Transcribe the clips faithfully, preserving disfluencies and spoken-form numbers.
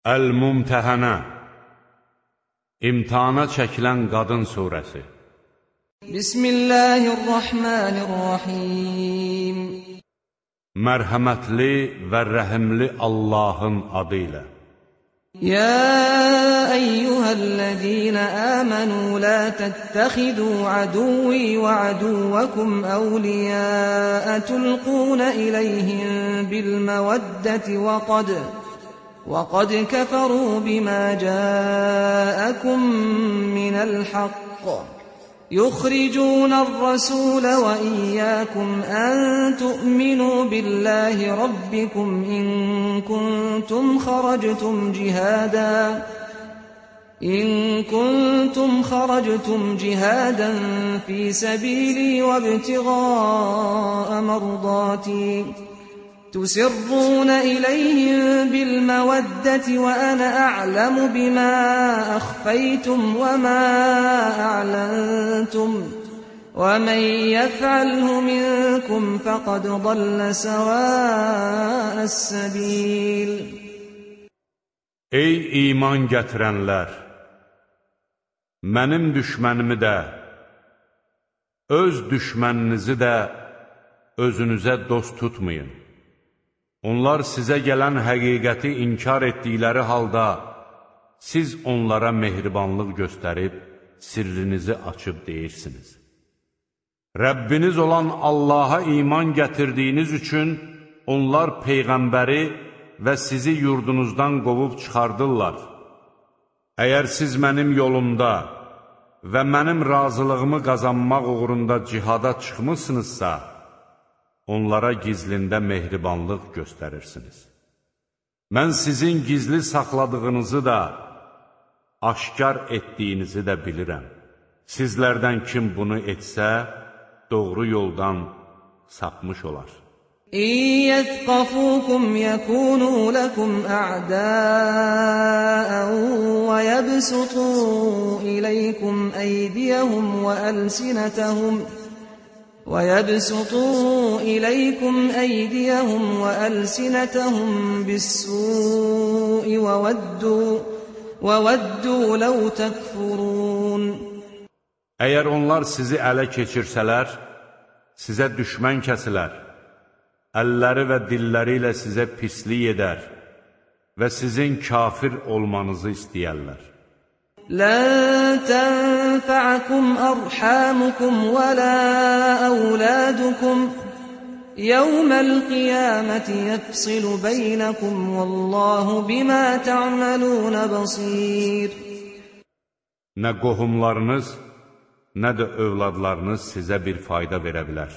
Əl-Mumtəhənə, İmtihana çəkilən qadın surəsi. Bismillahirrahmanirrahim. Mərhəmətli və rəhimli Allahın adı ilə. يا أيها الذين آمنوا لا تتخذوا عدوي وعدوكم أولياء تلقون إليهم بالمودة وقد وقد كفروا بما جاءكم من الحق يخرجون الرسول وإياكم أن تؤمنوا بالله ربكم إن كنتم خرجتم جهادا إن كنتم خرجتم جهادا في سبيلي وابتغاء مرضاتي تسرون إليهم بالمودة وأنا أعلم بما أخفيتم وما أعلنتم ومن يفعله منكم فقد ضل سواء السبيل. Ey iman gətirənlər! Mənim düşmənimi də, öz düşməninizi də özünüzə dost tutmayın. Onlar sizə gələn həqiqəti inkar etdikləri halda, siz onlara mehribanlıq göstərib, sirrinizi açıb deyirsiniz. Rəbbiniz olan Allaha iman gətirdiyiniz üçün, onlar Peyğəmbəri və sizi yurdunuzdan qovub çıxardırlar. Əgər siz mənim yolumda və mənim razılığımı qazanmaq uğrunda cihada çıxmışsınızsa, onlara gizlində mehribanlıq göstərirsiniz. Mən sizin gizli saxladığınızı da, aşkar etdiyinizi də bilirəm. Sizlərdən kim bunu etsə, doğru yoldan sapmış olar. İn yethqafukum yekunu lekum a'da'an ve yebsutu ileykum eydiyahum ve elsinetahum وَيَبْسُطُوا إِلَيْكُمْ أَيْدِيَهُمْ وَأَلْسِنَتَهُمْ بِالسُّوءِ وَوَدُّوا وَوَدُّوا لَوْ تَكْفُرُونَ. Əgər onlar sizi ələ keçirsələr, sizə düşmən kəsilər, əlləri və dilləri ilə sizə pislik edər və sizin kafir olmanızı istəyərlər. لن تنفعكم أرحامكم ولا أولادكم يوم القيامة يفصل بينكم والله بما تعملون بصير. Nə qohumlarınız, nə də övladlarınız sizə bir fayda verə bilər.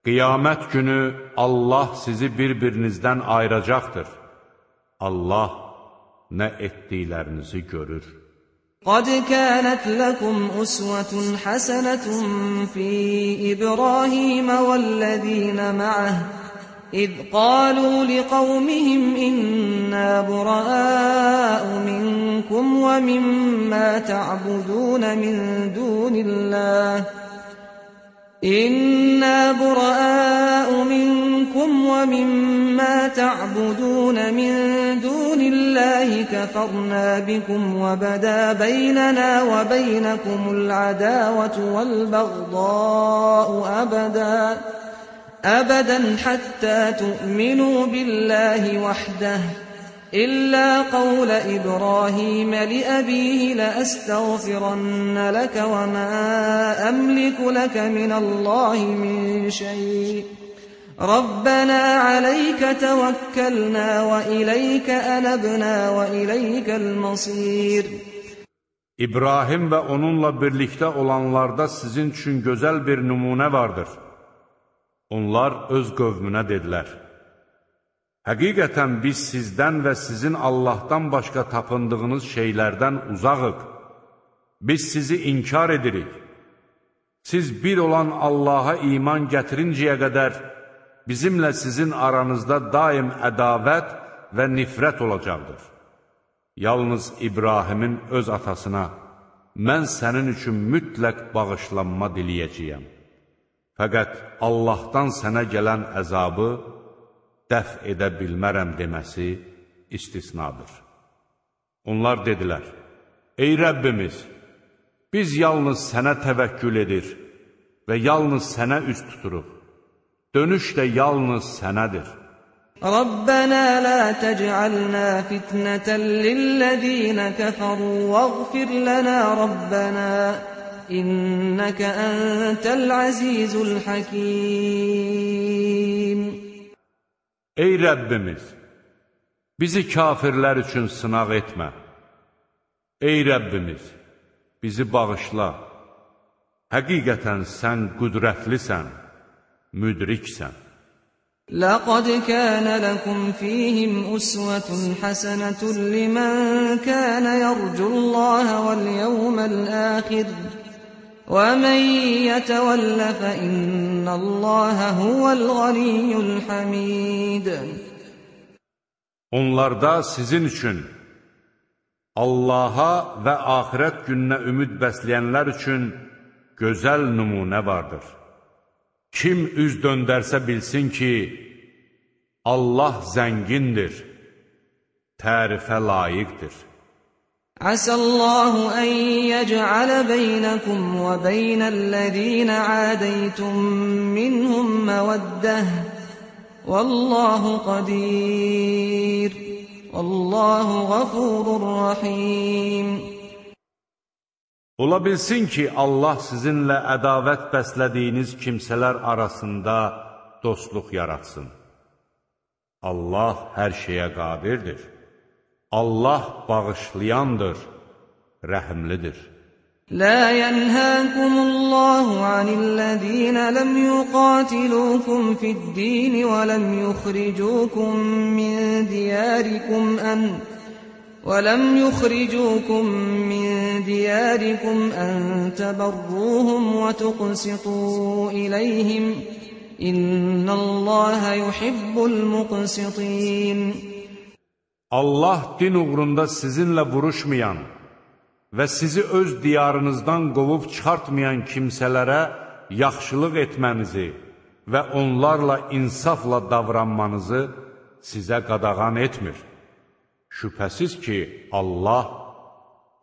Qiyamət günü Allah sizi bir-birinizdən ayıracaqdır. Allah nə etdiklərinizi görür. قد كانت لكم أسوة حسنة في إبراهيم والذين معه إذ قالوا لقومهم إنا براء منكم ومما تعبدون من دون الله إنا براء منكم ومما تعبدون من دون الله كفرنا بكم وبدا بيننا وبينكم العداوة والبغضاء أبدا أبدا حتى تؤمنوا بالله وحده إلا قول إبراهيم لأبيه لأستغفرن لك وما أملك لك من الله من شيء ربنا عليك توكلنا وإليك أنبنا وإليك المصير. İbrahim və onunla birlikdə olanlarda sizin üçün gözəl bir nümunə vardır. Onlar öz qövmünə dedilər: Həqiqətən biz sizdən və sizin Allahdan başqa tapındığınız şeylərdən uzağıq. Biz sizi inkar edirik. Siz bir olan Allaha iman gətirincəyə qədər bizimlə sizin aranızda daim ədavət və nifrət olacaqdır. Yalnız İbrahimin öz atasına, mən sənin üçün mütləq bağışlanma diləyəcəyəm. Fəqət Allahdan sənə gələn əzabı dəf edə bilmərəm deməsi istisnadır. Onlar dedilər, ey Rəbbimiz, biz yalnız sənə təvəkkül edir və yalnız sənə üz tuturuq. Dönüş də yalnız sənədir. Rabbana la tec'alna fitneten lillezine keferu vaghfir lana Rabbana inneke entel azizul hakim. Ey Rəbbimiz, bizi kafirlər üçün sınaq etmə. Ey Rəbbimiz, bizi bağışla. Həqiqətən sən qüdrətlisən, müdriksən. لقد كان لكم فيهم أسوة حسنة لمن كان يرجو الله واليوم الآخر ومن يتول فإن الله هو الغني الحميد. Onlarda sizin üçün Allaha və axirət gününə ümid bəsləyənlər üçün gözəl nümunə vardır. Kim üz döndərsə bilsin ki, Allah zəngindir, tərifə layiqdir. Əsəllahu ən yəc'alə beynəkum və beynəl-ləzīnə ədəytum minhum məvəddəh. Vallahu qadir. Vallahu ğafurur rahim. Ola bilsin ki, Allah sizinlə ədavət bəslədiyiniz kimsələr arasında dostluq yaratsın. Allah hər şeyə qadirdir. Allah bağışlayandır, rəhimlidir. La yenhâkumullahu anillezîne lem yuqatilukum fid-dîn ve lem yukhrijukum min diyârikum en وَلَمْ يُخْرِجُوكُمْ مِنْ دِيَارِكُمْ أَنْ تَبَرُّوهُمْ وَتُقْسِطُوا إِلَيْهِمْ إِنَّ اللَّهَ يُحِبُّ الْمُقْسِطِينَ. Allah din uğrunda sizinlə vuruşmayan və sizi öz diyarınızdan qovub çıxartmayan kimsələrə yaxşılıq etmənizi və onlarla insafla davranmanızı sizə qadağan etmir. Şübhəsiz ki, Allah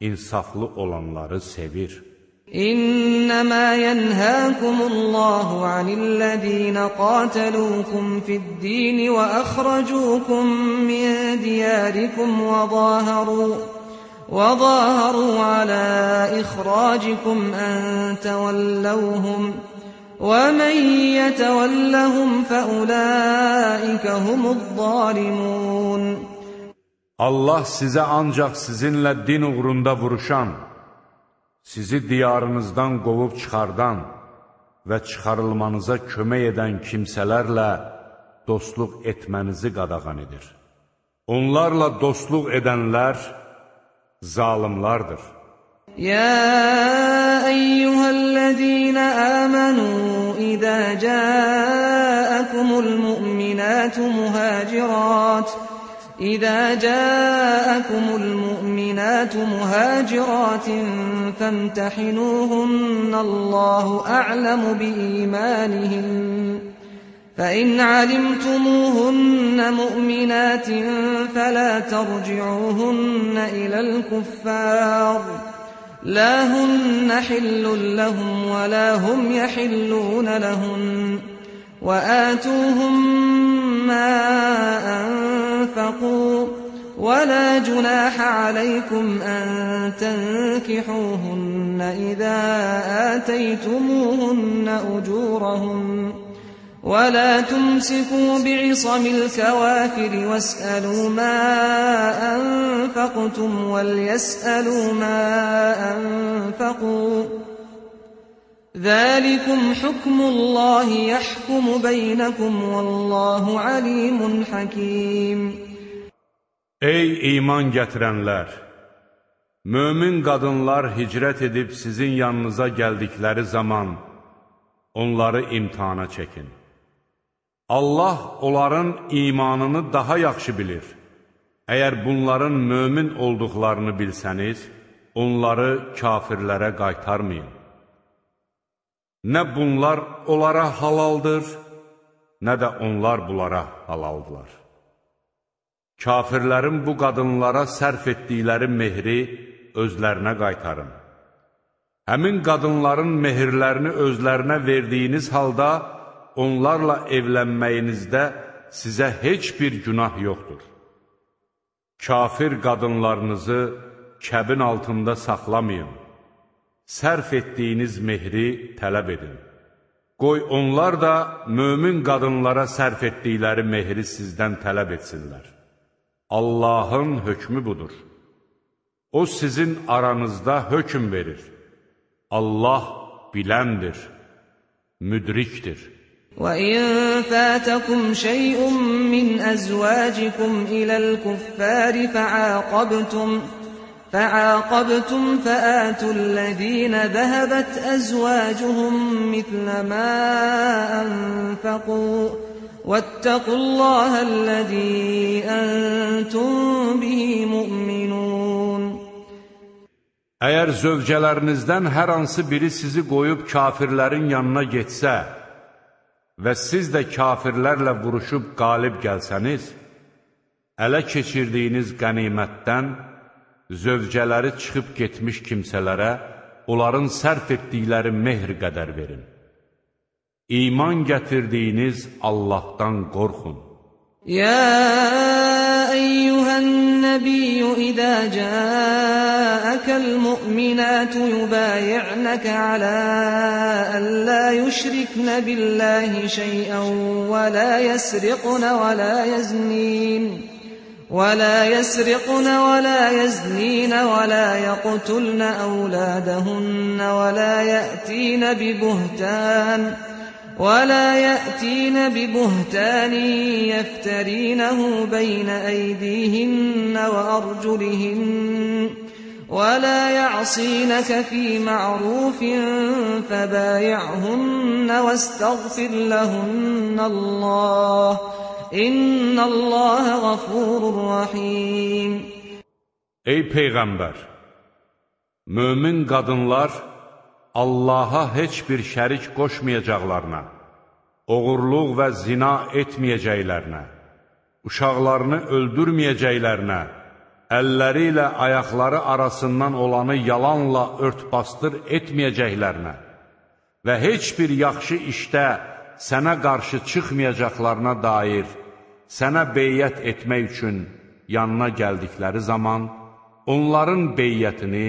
insaflı olanları sevir. İnnəmə yənhəkumullahu anillezîne qâtelûkum fid-dîn və əxrəcûkum min diyârikum və zâharû və zâharû alâ ixrâcikum ən təvəlləvhum və mən yetəvəlləhum fəulâikə humuz-zâlimûn. Allah sizə ancaq sizinlə din uğrunda vuruşan, sizi diyarınızdan qovub çıxardan və çıxarılmanıza kömək edən kimsələrlə dostluq etmənizi qadağan edir. Onlarla dostluq edənlər zalimlardır. Ya eyyuhəl-ləzīnə əmənu, İzə cəəəkumul mu'minətu muhacirət إذا جاءكم المؤمنات مهاجرات فامتحنوهن الله أعلم بإيمانهن فإن علمتموهن مؤمنات فلا ترجعوهن إلى الكفار لا هن حل لهم ولا هم يحلون لهن وآتوهم ما أنفقوا ولا جناح عليكم أن تنكحوهن إذا آتيتموهن أجورهن ولا تمسكوا بعصم الكوافر واسألوا ما أنفقتم وليسألوا ما أنفقوا ذَٰلِكُمْ حُكْمُ اللّٰهِ يَحْكُمُ بَيْنَكُمْ وَاللّٰهُ عَلِيمٌ حَكِيمٌ. Ey iman gətirənlər! Mömin qadınlar hicrət edib sizin yanınıza gəldikləri zaman onları imtihana çəkin. Allah onların imanını daha yaxşı bilir. Əgər bunların mömin olduqlarını bilsəniz, onları kafirlərə qaytarmayın. Nə bunlar onlara halaldır, nə də onlar bunlara halaldılar. Kafirlərin bu qadınlara sərf etdikləri mehri özlərinə qaytarın. Həmin qadınların mehirlərini özlərinə verdiyiniz halda, onlarla evlənməyinizdə sizə heç bir günah yoxdur. Kafir qadınlarınızı kəbin altında saxlamayın. Sərf etdiyiniz mehri tələb edin. Qoy onlar da mömin qadınlara sərf etdikləri mehri sizdən tələb etsinlər. Allahın hökmü budur. O sizin aranızda hökm verir. Allah biləndir, müdrikdir. وَإِنْ فَاتَكُمْ شَيْءٌ مِّنْ أَزْوَاجِكُمْ إِلَى الْكُفَّارِ فَعَاقَبْتُمْ فَعَاقَبْتُمْ فَآتُوا الَّذِينَ ذَهَبَتْ أَزْوَاجُهُمْ مِثْلَ مَا أَنفَقُوا وَاتَّقُوا اللَّهَ الَّذِي أَنْتُمْ بِهِ مُؤْمِنُونَ. Əgər zövcələrinizdən hər hansı biri sizi qoyub kafirlərin yanına getsə və siz də kafirlərlə vuruşub qalib gəlsəniz, ələ keçirdiyiniz qənimətdən zövcələri çıxıb getmiş kimsələrə onların sərf etdikləri mehr qədər verin. İman gətirdiyiniz Allahdan qorxun. يا أيها النبي إذا جاءك المؤمنات يبايعنك على أن لا يشركن بالله شيئا ولا يسرقن ولا يزنين ولا يسرقن ولا يزنين ولا يقتلن أولادهن ولا يأتين ببهتان ولا يأتين ببهتان يفترينه بين أيديهن وأرجلهن ولا يعصينك في معروف فبايعهن واستغفر لهن الله إن الله غفور رحيم. Ey Peyğəmbər! Mömin qadınlar Allaha heç bir şərik qoşmayacaqlarına, oğurluq və zina etməyəcəklərinə, uşaqlarını öldürməyəcəklərinə, əlləri ilə ayaqları arasından olanı yalanla ört-bastır etməyəcəklərinə və heç bir yaxşı işdə sənə qarşı çıxmayacaqlarına dair sənə beyyət etmək üçün yanına gəldikləri zaman onların beyyətini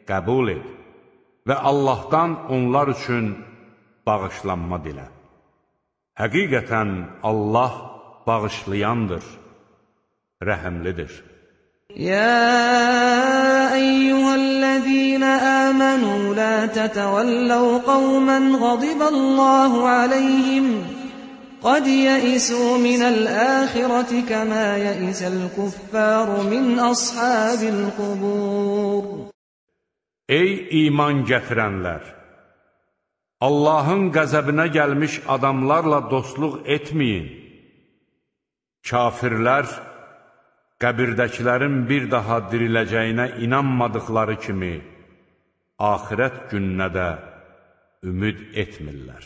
qəbul et və Allahdan onlar üçün bağışlanma dilə. Həqiqətən Allah bağışlayandır, rəhəmlidir. يا أيها الذين آمنوا لا تتولوا قوما غضب الله عليهم قد يئسوا من الآخرة كما يئس الكفار من أصحاب القبور. Ey iman gətirənlər! Allahın qəzəbinə gəlmiş adamlarla dostluq etməyin. Kafirlər, qəbirdəkilərin bir daha diriləcəyinə inanmadıqları kimi, axirət gününə də ümid etmirlər.